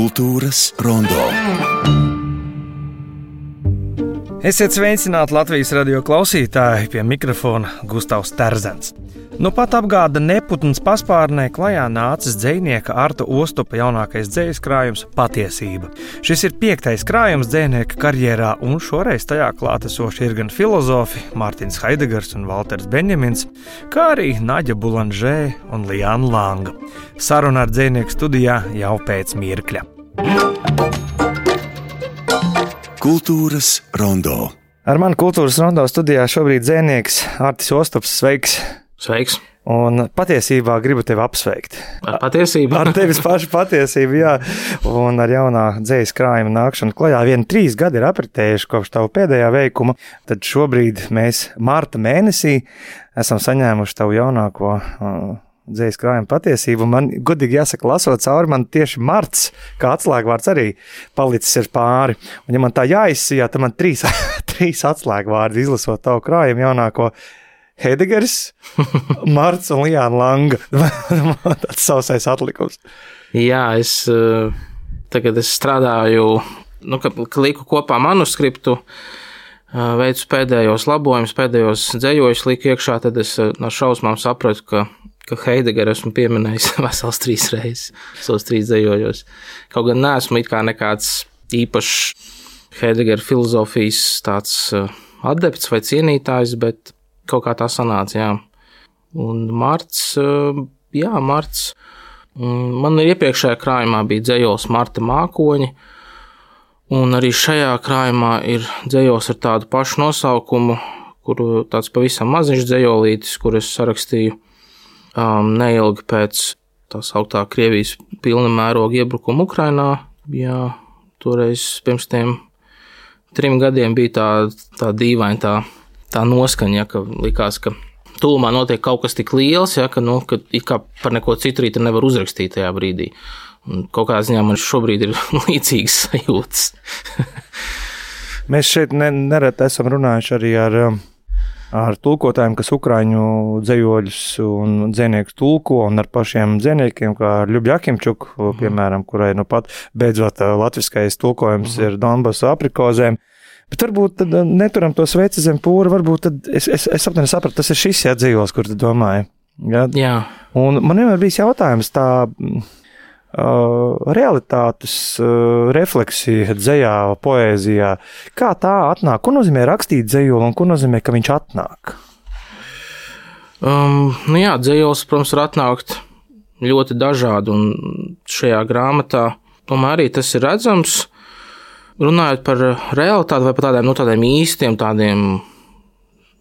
Kultūras rondo. Esiet sveicināti Latvijas radio klausītāji, pie mikrofona Gustavs Terzens. Nu pat apgāda neputns paspārnē klajā nācis dzejnieka Arta Ostupa jaunākais dzejas krājums Patiesība. Šis ir 5. krājums dzejnieka karjerā, un šoreiz tajā klātesoši ir gan filozofi Mārtiņš Haidegers un Valters Benjamins, kā arī Naģa Bulanžē un Liāna Langa. Saruna ar dzejnieku studijā jau pēc mirkļa. Kultūras rondo. Ar mani Kultūras rondo studijā šobrīd dzejnieks Artis Ostups. Sveiks! Sveiks! Un patiesībā gribu tevi apsveikt. Ar patiesību? Ar tevis pašu patiesību, jā. Un ar jaunā dzejas krājuma nākšanu klajā. 3 gadi ir apritējuši kopš tavu pēdējā veikuma. Tad šobrīd mēs marta mēnesī esam saņēmuši tavu jaunāko dzejas krājuma Patiesību. Man godīgi jāsaka, lasot cauri, man tieši marts, kā atslēgvārds, arī palicis ir pāri. Un ja man tā jāizsijā, tad man 3 atslēgvārdi izlasot tavu krājumu jaunāko: Heidegers, Marts un Liāna Langa. Tāds sausais atlikums. Jā, tagad es strādāju, kad liku kopā manuskriptu, veicu pēdējos labojumus, pēdējos dzejojus liku iekšā, tad es no šausmām sapratu, ka Heidegeru esmu pieminējis vesels 3 reizes, savos 3 dzejojos. Kaut gan neesmu it kā nekāds īpašs Heidegera filozofijas tāds adepts vai cienītājs, bet kaut kā tā sanāca, jā. Un marts. Man iepriekšējā krājumā bija dzejols Marta mākoņi, un arī šajā krājumā ir dzejols ar tādu pašu nosaukumu, kuru tāds pavisam maziņš dzejolītis, kur es sarakstīju neilgi pēc tā sauktā Krievijas pilna mēroga iebrukuma Ukrainā. Jā, toreiz pirms tiem 3 gadiem bija tā dīvaina tā noskaņa, ka likās, ka tūmā notiek kaut kas tik liels, ka it kā par neko citu arī nevar uzrakstīt tajā brīdī. Un kaut kādā ziņā man šobrīd ir līdzīgas sajūtas. Mēs šeit nereti esam runājuši arī ar tulkotājiem, kas ukraiņu dzejoļus un dzejniekus tulko, un ar pašiem dzejniekiem, kā Ļubja Akimčuku, piemēram, kurai pat beidzot latviskais tulkojums ir Donbasu aprikozēm. Bet varbūt tad neturam to sveci zem pūra, varbūt tad es apmēram sapratu, tas ir šis dzejols, kur tu domāji. Jā. Un man vienmēr bijis jautājums tā realitātes refleksija dzejā, poēzijā. Kā tā atnāk? Ko nozīmē rakstīt dzejolu un ko nozīmē, ka viņš atnāk? Dzejols, protams, var atnākt ļoti dažādi, un šajā grāmatā tomēr arī tas ir redzams. Runājot par realitāti vai par tādiem īstiem, tādiem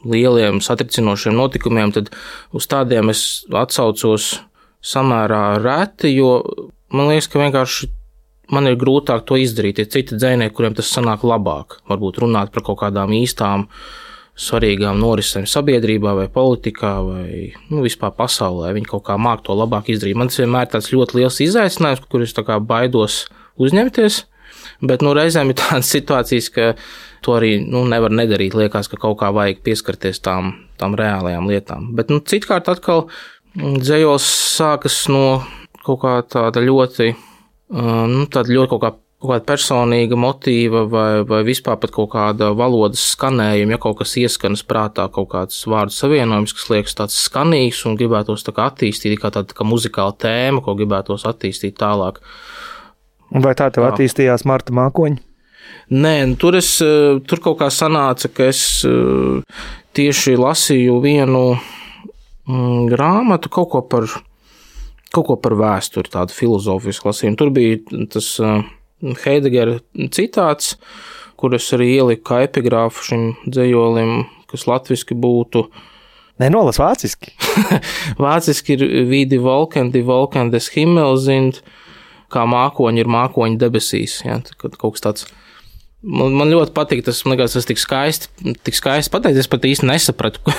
lieliem satricinošiem notikumiem, tad uz tādiem es atsaucos samērā reti, jo man liekas, ka vienkārši man ir grūtāk to izdarīt. Ir citi dzejnieki, kuriem tas sanāk labāk. Varbūt runāt par kaut kādām īstām, svarīgām norisēm sabiedrībā vai politikā vai vispār pasaulē. Viņi kaut kā māk to labāk izdarīt. Man tas vienmēr tāds ļoti liels izaicinājums, kur es tā kā baidos uzņemties. Bet reizēm ir tādas situācijas, ka to arī nevar nedarīt. Liekas, ka kaut kā vajag pieskarties tām reālajām lietām. Bet citkārt atkal dzejols sākas no kaut kā tāda ļoti kaut kāda personīga motīva vai vispār pat kaut kāda valodas skanējuma, ja kaut kas ieskanas prātā, kaut kāds vārdu savienojums, kas liekas tāds skanīgs un gribētos tā kā attīstīt, kā tāda kā muzikāla tēma, ko gribētos attīstīt tālāk. Un vai tā tev attīstījās Marta mākoņi? Nē, tur kaut kā sanāca, ka es tieši lasīju vienu grāmatu, kaut ko par vēsturi, tādu filozofisku lasījumu. Tur bija tas Heidegera citāts, kur es arī ieliku kā epigrāfu šim dzejolim, kas latviski būtu. Nē, nolas vāciski. Vāciski ir wie die Wolken des Himmels sind, kā mākoņi ir mākoņi debesīs. Ja, kaut kas tāds. Man ļoti patīk, tas tik skaisti pateicis. Es pat īsti nesapratu, ko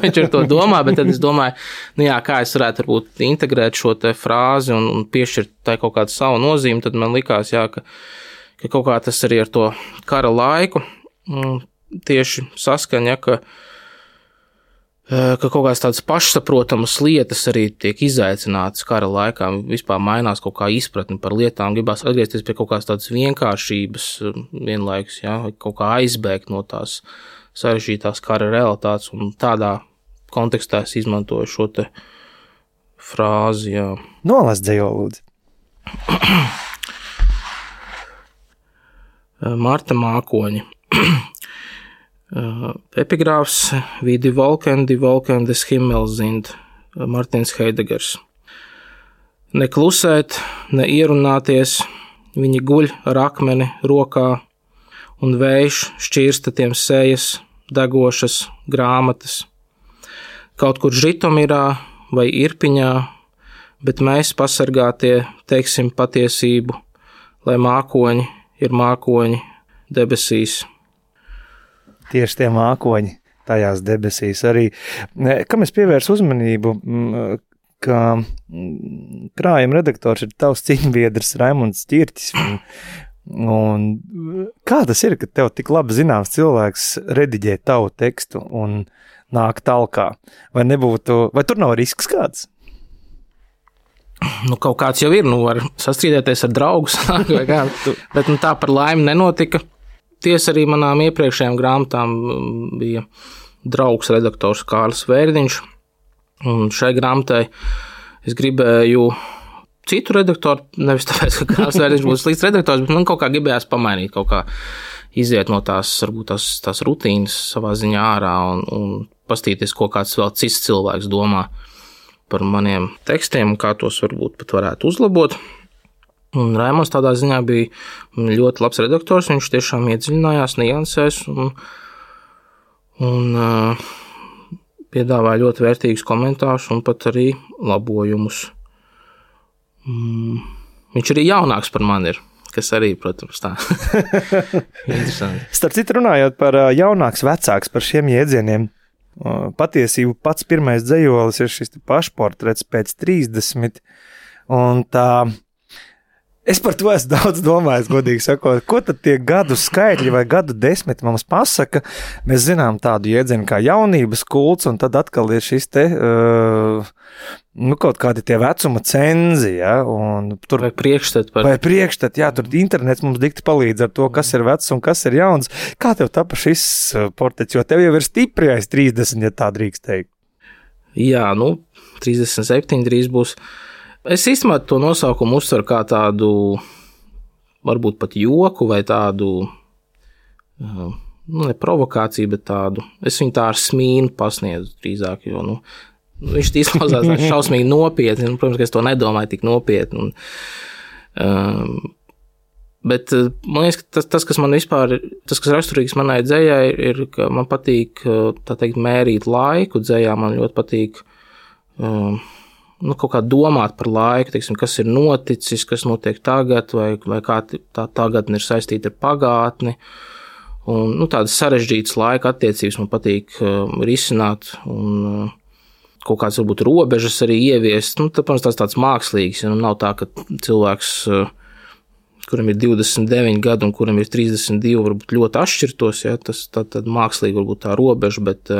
viņš ar to domā, bet tad es domāju, kā es varētu varbūt integrēt šo te frāzi un piešķirt tai kaut kādu savu nozīmi. Tad man likās, ka kaut kā tas arī ar to kara laiku tieši saskaņa, ka ka kaut kādas tādas pašsaprotamas lietas arī tiek izaicinātas kara laikā, vispār mainās kaut kā izpratni par lietām, gribās atgriezties pie kaut kādas tādas vienkāršības vienlaikus, ja, kaut kā aizbēgt no tās sarežģītās kara realitātes, un tādā kontekstā es izmantoju šo te frāzi, jā. Nolas dzējoli, lūdzu. Marta Mākoņi. Epigrāfs wie die Wolken des Himmels sind, Martins Heidegers. Ne klusēt, ne ierunāties, viņi guļ ar akmeni rokā, un vējš šķirsta tiem sejas, degošas grāmatas. Kaut kur Žitomirā vai Irpiņā, bet mēs pasargātie teiksim patiesību, lai mākoņi ir mākoņi debesīs. Tieši tie mākoņi tajās debesīs arī. Kam es pievērsu uzmanību, ka krājuma redaktors ir tavs ciņbiedrs Raimunds Ķirķis. Un kā tas ir, ka tev tik labi zināms cilvēks rediģē tavu tekstu un nāk talkā? Vai tur nav risks kāds? Nu, kaut kāds jau ir, var sastrīdēties ar draugus, vai kā, bet tā par laimi nenotika. Tiesa arī manām iepriekšējām grāmatām bija draugs redaktors Kārlis Vērdiņš, un šai grāmatai es gribēju citu redaktoru, nevis tāpēc, ka Kārlis Vērdiņš būs slikts redaktors, bet man kaut kā gribējās pamainīt, kaut kā iziet no varbūt tās rutīnas savā ziņā ārā un pastīties, ko kāds vēl cits cilvēks domā par maniem tekstiem un kā tos varbūt pat varētu uzlabot. Un Raimonds tādā ziņā bija ļoti labs redaktors, viņš tiešām iedziļinājās niansēs un piedāvāja ļoti vērtīgus komentārus un pat arī labojumus. Viņš arī jaunāks par mani ir, kas arī, protams, tā interesanti. Starp citu runājot par jaunāks, vecāks, par šiem jēdzieniem, patiesību pats pirmais dzejolis ir šis pašportrets pēc 30, un tā es par to esmu daudz domājis, godīgi sakot. Ko tad tie gadu skaitļi vai gadu desmiti mums pasaka? Mēs zinām tādu jēdzienu kā jaunības kults, un tad atkal ir šis te, kaut kādi tie vecuma cenzi, ja? Un tur, vai priekšstat. Vai priekšstat, jā, tur internets mums dikti palīdz ar to, kas ir vecs un kas ir jauns. Kā tev tapa šis portrets, jo tev jau ir stipri aiz 30, ja tā drīkst teikt? Jā, 37 drīz būs. Es īstenībā to nosaukumu uztveru kā tādu, varbūt pat joku vai tādu, ne provokāciju, bet tādu, es viņu tā ar smīnu pasniedzu drīzāk, jo, viņš izklausās šausmīgi nopietni, protams, ka es to nedomāju tik nopietni. Bet man liekas, ka tas, kas man vispār, tas, kas raksturīgs manai dzejai, ir, ka man patīk, tā teikt, mērīt laiku dzejā, man ļoti patīk, kaut kā domāt par laiku, teiksim, kas ir noticis, kas notiek tagad, vai kā tā tagadne ir saistīta ar pagātni. Un, tādas sarežģītas laika attiecības man patīk risināt un kaut kāds varbūt robežas arī ieviest. Tāpēc tāds mākslīgs, ja nav tā, ka cilvēks, kuram ir 29 gadi un kuram ir 32, varbūt ļoti atšķirtos, ja, tas tad mākslīgi varbūt tā robeža, bet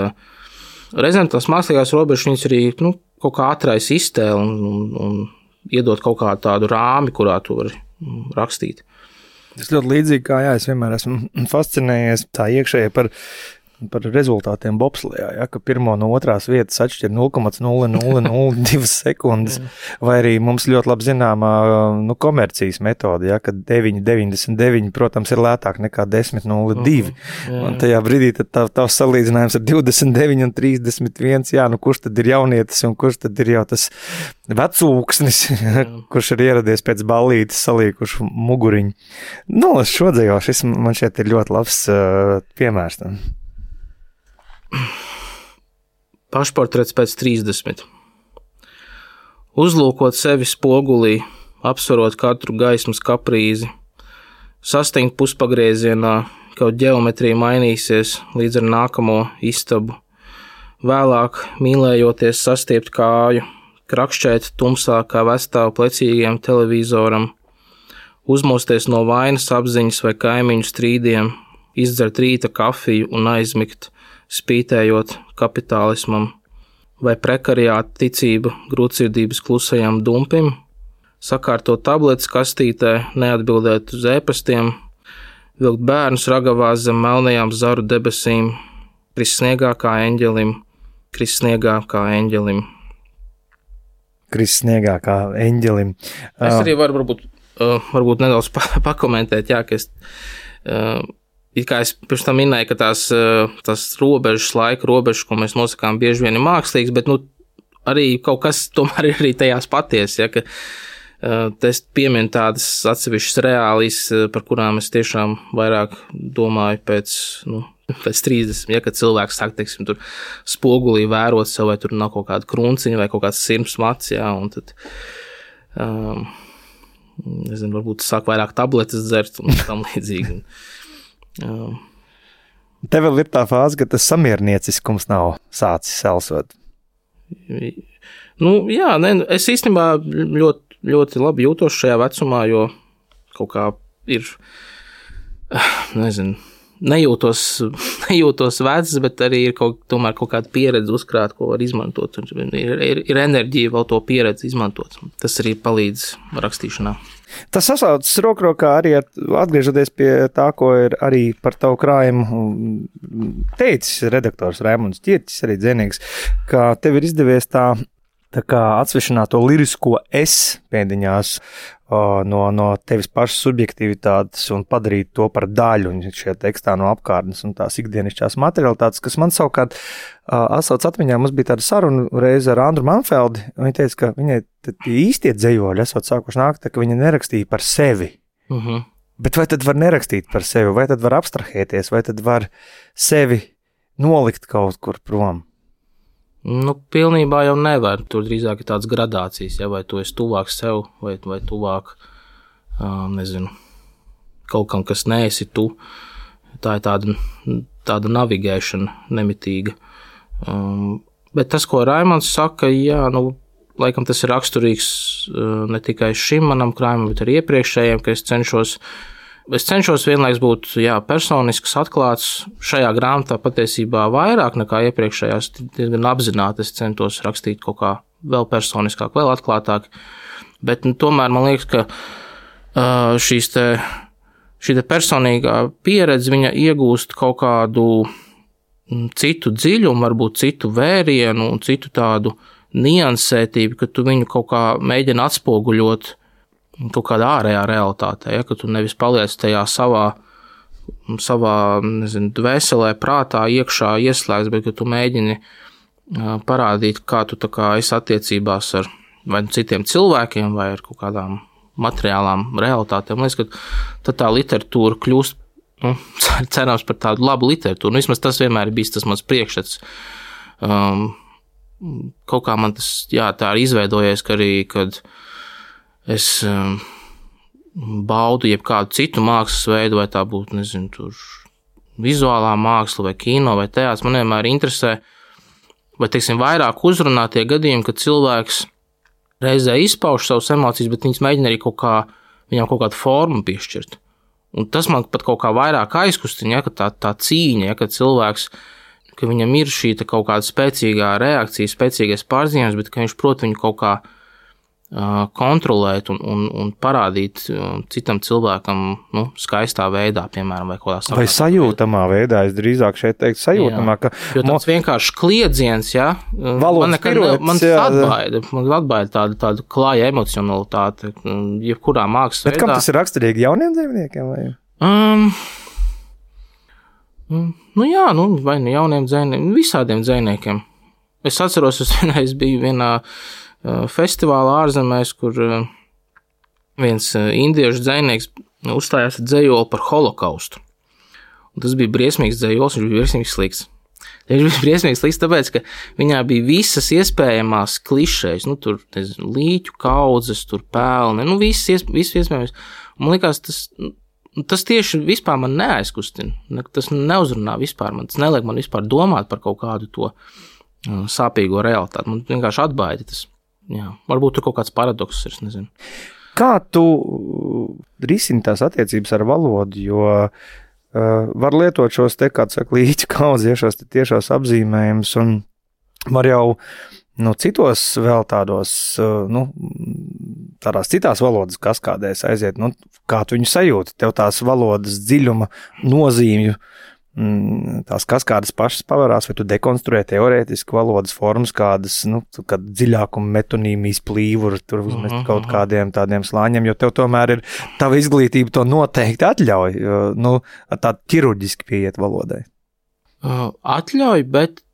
reizēm tās mākslīgās robežas viņas arī, kaut kā atraisa iztēli un iedot kaut kādu tādu rāmi, kurā tu vari rakstīt. Tas ļoti līdzīgi kā, es vienmēr esmu fascinējies tā iekšēji par rezultātiem bobslijā, ja, ka pirmo no otrās vietas atšķir 0,0002 sekundes, vai arī mums ļoti labi zināmā komercijas metode, ja, ka 9,99, protams, ir lētāk nekā 10,02. Un tajā brīdī tad tavs salīdzinājums ar 29 un 31, kurš tad ir jaunietis un kurš tad ir jau tas vecūksnis, kurš ir ieradies pēc ballītes salīkuši muguriņu. Šo dzējo, šis man šeit ir ļoti labs piemērs tam. Pašportrets pēc 30. Uzlūkot sevi spogulī, apsvarot katru gaismas kaprīzi, sastingt puspagriezienā, kaut ģeometrija mainīsies līdz ar nākamo istabu, vēlāk mīlējoties sastiept kāju, krakšķēt tumsā kā vestāvu plecīgiem televizoram, uzmosties no vainas apziņas vai kaimiņu strīdiem, izdzert rīta kafiju un aizmigt, spītējot kapitālismam, vai prekariāta ticība grūtsirdības klusajam dumpim, sakārtot tabletes kastītē, neatbildēt uz ēpastiem, vilkt bērnus ragavās zem melnajām zaru debesīm, krist sniegā kā eņģelim, krist sniegā kā eņģelim. Krist sniegā kā eņģelim. Es arī varu varbūt nedaudz pakomentēt, jā, ka it kā es pirms tam minēju, ka tās robežas, laika robežas, ko mēs nosakām, bieži vien ir mākslīgas, bet arī kaut kas tomēr ir arī tajās patiesi, ja, ka es pieminu tādas atsevišķas reālijas, par kurām es tiešām vairāk domāju pēc 30, ja, kad cilvēks sāk, teiksim, tur spogulī vērot sev, vai tur nav kaut kāda krunciņa vai kaut kāds sirms mats, ja, un tad, nezinu, varbūt sāk vairāk tabletes dzert un tam līdzīgi. Tev vēl ir tā fāze, ka tas samiernieciskums nav sācis selsot. Jā, es īstenībā ļoti labi jūtos šajā vecumā, jo kaut kā ir, nezinu, nejūtos vecs, bet arī ir tomēr kaut kāda pieredze uzkrāt, ko var izmantot. Ir enerģija vēl to pieredzi izmantot. Tas arī palīdz rakstīšanā. Tas sasaucas rokā arī atgriežoties pie tā, ko ir arī par tavu krājumu teicis redaktors Raimunds Ķirķis, arī dzinīgs, ka tev ir izdevies tā kā atsvešināt to lirisko es pēdiņās no tevis pašas subjektivitātes un padarīt to par daļu un šajā tekstā no apkārtnes un tās ikdienišķās materialitātes, kas man savukārt atsauc atmiņā. Mums bija tāda saruna reize ar Andru Manfeldi, un viņa teica, ka viņai īstie dzējoļi esot sākuši nākt, ka viņa nerakstīja par sevi. Bet vai tad var nerakstīt par sevi, vai tad var abstrahēties, vai tad var sevi nolikt kaut kur prom? Pilnībā jau nevar. Tur drīzāk ir tādas gradācijas, ja, vai tu esi tuvāk sev, vai tuvāk, nezinu, kaut kam, kas neesi tu. Tā ir tāda navigēšana nemitīga. Bet tas, ko Raimonds saka, jā, laikam tas ir raksturīgs ne tikai šim manam krājumam, bet arī iepriekšējiem, ka es cenšos vienlaiks būt, jā, personisks, atklāts. Šajā grāmatā patiesībā vairāk nekā iepriekšējās, diezgan apzināti es centos rakstīt kaut kā vēl personiskāk, vēl atklātāk. Bet tomēr man liekas, ka šī personīgā pieredze, viņa iegūst kaut kādu citu dziļumu, varbūt citu vērienu un citu tādu niansētību, ka tu viņu kaut kā mēģini atspoguļot kaut kādā ārējā realitātē, ja, ka tu nevis paliec tajā savā, nezinu, dvēselē, prātā, iekšā ieslēgts, bet ka tu mēģini parādīt, kā tu tā kā esi attiecībās ar vai citiem cilvēkiem vai ar kaut kādām materiālām realitātēm. Liekas, ka tad tā literatūra kļūst, cerams par tādu labu literatūru. Vismaz tas vienmēr ir bijis tas mans priekšstats. Kaut kā man tas, jā, tā ir izveidojies, ka arī, kad es baudu jebkādu citu mākslas veidu, vai tā būtu, nezinu, tur vizuālā māksla vai kino vai teātris, man vienmēr interesē, vai, teiksim, vairāk uzrunā tie gadījumi, kad cilvēks reizē izpauž savas emocijas, bet viņas mēģina arī viņam kaut kādu formu piešķirt. Un tas man pat kaut kā vairāk aizkustina, ja, ka tā cīņa, ja, ka cilvēks, ka viņam ir šī kaut kāda spēcīgā reakcija, spēcīgais pārzīmējums, bet ka viņš prot viņu kaut kā kontrolēt un parādīt citam cilvēkam, skaistā veidā, piemēram, vai kaut kādā vai sajūtamā veidā, es drīzāk šeit teiktu sajūtamā, ka jo tāds vienkārši kliedziens, ja, man atbaida tādu klāja emocionalitāti, jebkurā mākslas veidā. Bet kam tas ir raksturīgi jauniem dzīvniekiem? Vai? Jā, vai jauniem dzejniekiem, visādiem dzejniekiem. Es atceros, es biju vienā festivālā ārzemēs, kur viens indiešu dzejnieks uzstājās ar dzejoli par holokaustu. Un tas bija briesmīgs dzejols, viņš bija briesmīgs slikts. Viņš bija briesmīgs slikts, tāpēc, ka viņā bija visas iespējamās klišejas, tur, nezinu, līķu kaudzes, tur pelni, viss iespējams. Man likās, tas tieši vispār man neaizkustina, tas neuzrunā vispār, tas neliek man vispār domāt par kaut kādu to sāpīgo realitāti, man vienkārši atbaida tas. Jā, varbūt tur kaut kāds paradoks ir, es nezinu. Kā tu risini tās attiecības ar valodu, jo var lietot šos te, kā tu saka, līķu kaudzi, šos te tiešos apzīmējumus, un var jau citos vēl tādos, tādās citās valodas kaskādēs aiziet, kā tu viņu sajūti, tev tās valodas dziļuma nozīmju, tās kaskādas pašas pavarās, vai tu dekonstruē teorētiski valodas formas kādas, kad dziļākuma metonīmijas plīvuru tur uzmest kaut kādiem tādiem slāņiem, jo tev tomēr ir tava izglītība to noteikti atļauj, tā ķirurģiski pieiet valodai. Atļauj, bet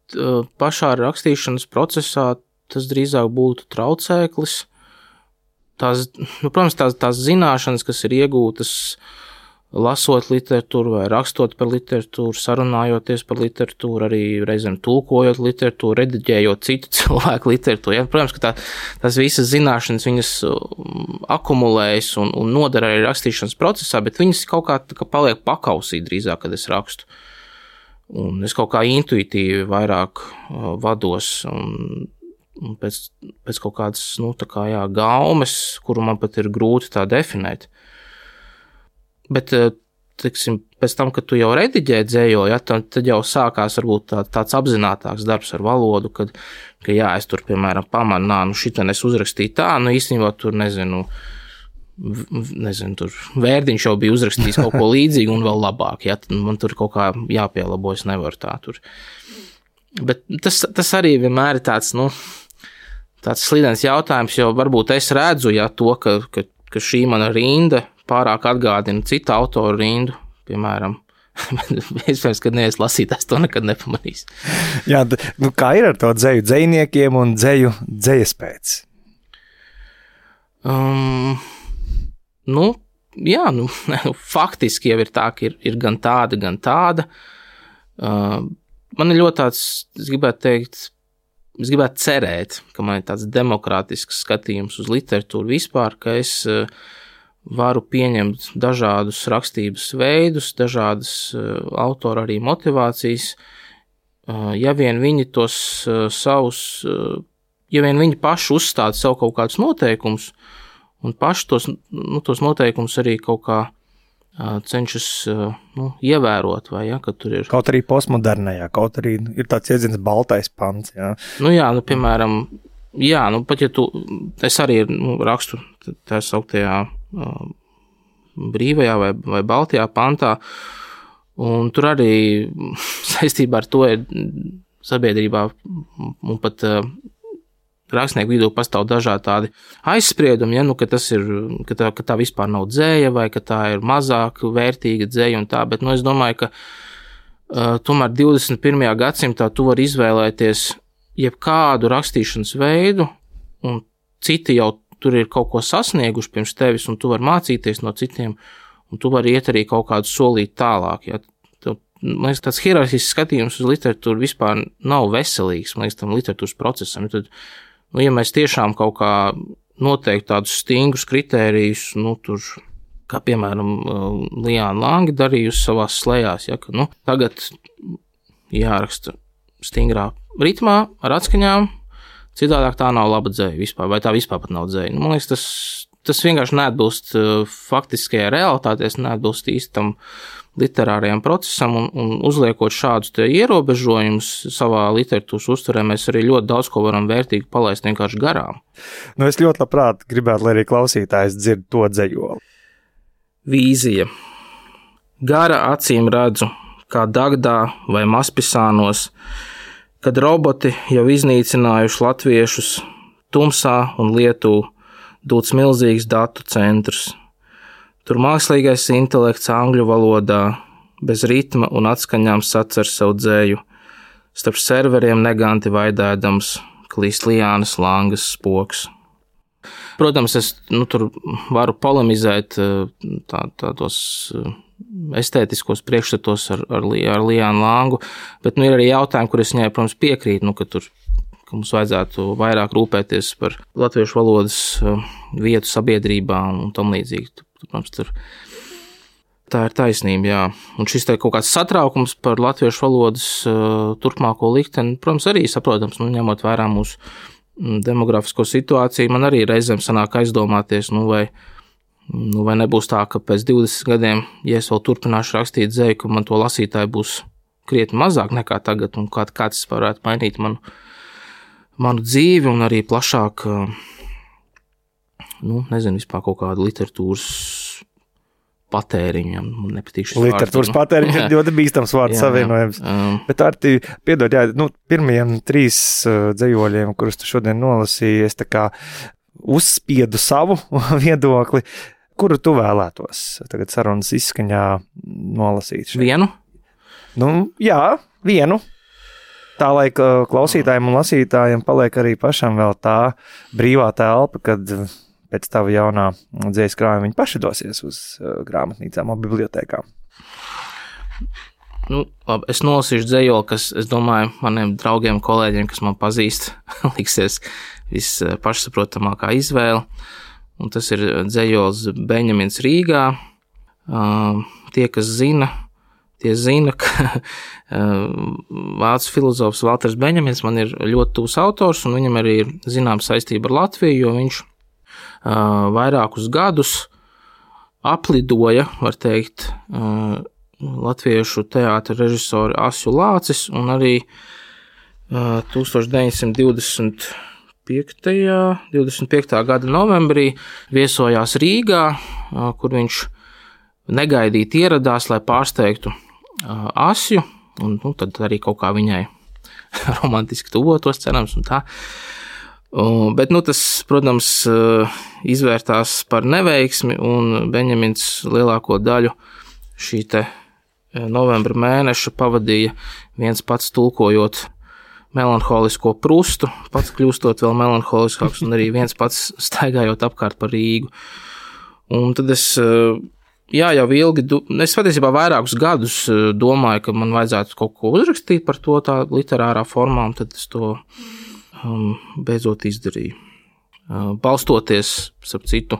pašā rakstīšanas procesā tas drīzāk būtu traucēklis. Protams, tās zināšanas, kas ir iegūtas lasot literatūru vai rakstot par literatūru, sarunājoties par literatūru, arī reizēm tulkojot literatūru, rediģējot citu cilvēku literatūru. Ja? Protams, ka tās visas zināšanas viņas akumulējas un nodara arī rakstīšanas procesā, bet viņas kaut kā paliek pakausī drīzāk, kad es rakstu. Un es kaut kā intuitīvi vairāk vados un pēc kaut kādas, gaumes, kuru man pat ir grūti tā definēt. Bet, teiksim, pēc tam, kad tu jau rediģē dzējo, ja, tad jau sākās varbūt tāds apzinātāks darbs ar valodu, ka es tur, piemēram, pamanu, šitien es uzrakstīju tā, īstenībā tur, nezinu, tur Vērdiņš jau bija uzrakstījis kaut ko līdzīgu un vēl labāk, ja, man tur kaut kā jāpielabo, es nevaru tā tur. Bet tas arī vienmēr ir tāds slidens jautājums, jo varbūt es redzu, ja, to, ka šī mana rinda pārāk atgādina citu autoru rindu, piemēram. Iespējams, kad neviens lasītājs to nekad nepamanīs. Jā, kā ir ar to dzeju dzejniekiem un dzejas pēc? Faktiski jau ir tā, ka ir gan tāda, gan tāda. Man ir ļoti tāds, es gribētu cerēt, ka man ir tāds demokrātisks skatījums uz literatūru vispār, ka es varu pieņemt dažādus rakstības veidus, dažādas autora arī motivācijas, ja vien viņi tos ja vien viņi paši uzstāda sev kaut kādus noteikumus, un paši tos noteikumus arī kaut kā cenšas ievērot, vai, ja, ka tur ir. Kaut arī postmodernajā, kaut arī ir tāds iedziens baltais pants, jā. Piemēram, pat ja es arī rakstu tā sauktajā brīvajā vai baltajā pantā, un tur arī saistībā ar to ir sabiedrībā un pat rakstnieku vidū pastāv dažādi tādi aizspriedumi, ja, ka tas ir, ka tā vispār nav dzēja, vai ka tā ir mazāk vērtīga dzēja un tā, bet, es domāju, ka tomēr 21. gadsimtā tu vari izvēlēties jebkādu rakstīšanas veidu, un citi jau tur ir kaut ko sasnieguši pirms tevis, un tu vari mācīties no citiem, un tu vari iet arī kaut kādu solīt tālāk, ja. Man liekas, tāds hierarhisks skatījums uz literatūru vispār nav veselīgs, man liekas, tam literatūras procesam. Tad, ja mēs tiešām kaut kā noteikti tādus stingrus kritērijus, tur, kā piemēram Liāna Lange darījusi savās slējās, ja, ka, tagad jāraksta stingrā ritmā ar atskaņām, citādāk tā nav laba dzēja vispār, vai tā vispār pat nav dzēja. Man liekas, tas vienkārši neatbilst faktiskajai realitātei, neatbilst īstam literārajam procesam, un uzliekot šādus te ierobežojumus savā literatūras uztverē, mēs arī ļoti daudz ko varam vērtīgi palaist vienkārši garām. Es ļoti labprāt gribētu, lai arī klausītājs dzird to dzejoli. Vīzija. Gara acīm redzu, kā Dagdā vai Maspisānos, kad roboti jau iznīcinājuši latviešus, tumsā un Lietuvu dūts milzīgs datu centrs. Tur mākslīgais intelekts angļu valodā, bez ritma un atskaņām sacer savu dzēju, starp serveriem neganti vaidēdams, klīst Liānas Langas spoks. Protams, es tur varu polemizēt tādos estētiskos priekšstatos ar Liānu Langu, bet ir arī jautājumi, kur es viņai, protams, piekrītu, ka mums vajadzētu vairāk rūpēties par latviešu valodas vietu sabiedrībā un tam līdzīgi. Protams, tā ir taisnība, jā. Un šis te kaut kāds satraukums par latviešu valodas turpmāko likteni, protams, arī saprotams, ņemot vērā mūsu demografisko situāciju, man arī reizēm sanāk aizdomāties, vai nebūs tā, ka pēc 20 gadiem, ja es vēl turpināšu rakstīt dzēju, ka man to lasītāju būs krietni mazāk nekā tagad, un kā tas varētu mainīt manu manu dzīvi un arī plašāk, nezinu, vispār kaut kādu literatūras patēriņam. Man nepatīk šis literatūras patēriņš ir ļoti bīstams vārds savienojums. Bet Arti, piedod, pirmajiem 3 dzejoļiem, kurus tu šodien nolasīji, es tā kā uzspiedu savu viedokli. Kuru tu vēlētos tagad sarunas izskaņā nolasīt? Vienu? Jā, vienu. Tā, lai klausītājiem un lasītājiem paliek arī pašam vēl tā brīvā telpa, kad pēc tava jaunā dzējas krājuma viņi paši dosies uz grāmatnīcām un bibliotēkām. Labi, es nolasīšu dzējoli, kas, es domāju, maniem draugiem, kolēģiem, kas man pazīst, liksies vispašsaprotamākā izvēle. Un tas ir dzejols Beņamins Rīgā. Tie, kas zina, tie zina, ka vācu filozofs Valters Beņamins man ir ļoti tuvs autors, un viņam arī ir zināma saistība ar Latviju, jo viņš vairākus gadus aplidoja, var teikt, latviešu teātra režisoru Asju Lācis, un arī 1925. Gada novembrī viesojās Rīgā, kur viņš negaidīti ieradās, lai pārsteigtu Asju, un tad arī kaut kā viņai romantiski tuvotos, cerams, un tā. Bet, tas, protams, izvērtās par neveiksmi, un Beņamins lielāko daļu šī te novembra mēneša pavadīja viens pats tulkojot melanholisko Prustu, pats kļūstot vēl melanholiskāks, un arī viens pats staigājot apkārt par Rīgu. Un tad es, jau ilgi, es patiesībā vairākus gadus domāju, ka man vajadzētu kaut ko uzrakstīt par to tā literārā formā, un tad es to beidzot izdarīju. Balstoties, starp citu,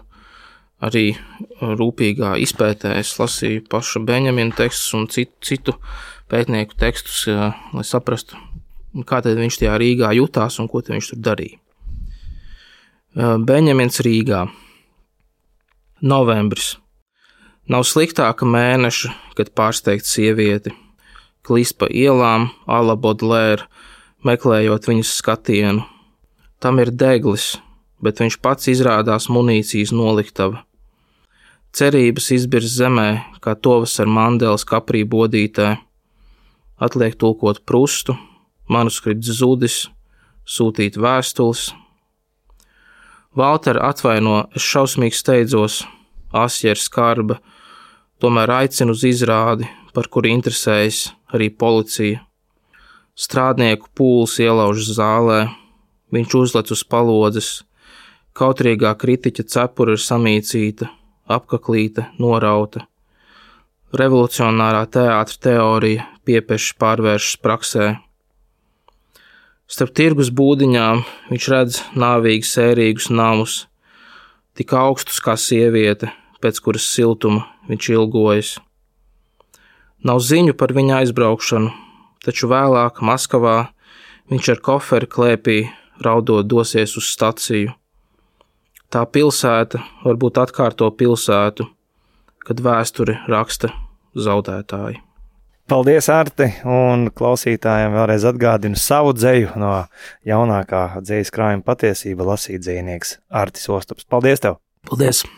arī rūpīgā izpētē es lasīju paša Beņamina tekstus un citu pētnieku tekstus, lai saprastu, kā tad viņš tajā Rīgā jutās un ko tad viņš tur darīja. Beņamins Rīgā. Novembris. Nav sliktāka mēneša, kad pārsteigt sievieti, klīst pa ielām, a la Baudelaire, meklējot viņas skatienu. Tam ir deglis, bet viņš pats izrādās munīcijas noliktava. Cerības izbirs zemē, kā tovas ar Mandelas kaprī bodītē. Atliek tulkot Prustu, manuskripts zudis, sūtīt vēstules. Valter atvaino, es šausmīgi steidzos, Asja ir skarba, tomēr aicinu uz izrādi, par kuru interesējas arī policija. Strādnieku pūls ielauž zālē, viņš uzlec uz palodzes, kautrīgā kritiķa cepura ir samīcīta, apkaklīta, norauta. Revolucionārā teātra teorija piepešs pārvēršas praksē. Starp tirgus būdiņām viņš redz nāvīgi sērīgus namus, tik augstus kā sieviete, pēc kuras siltuma viņš ilgojas. Nav ziņu par viņa aizbraukšanu, taču vēlāk Maskavā viņš ar koferi klēpī raudot dosies uz staciju. Tā pilsēta varbūt atkārto pilsētu, kad vēsturi raksta zaudētāji. Paldies, Arti, un klausītājiem vēlreiz atgādinu savu dzeju no jaunākā dzejas krājuma Patiesība lasīt dzejnieks Artis Ostops. Paldies tev! Paldies!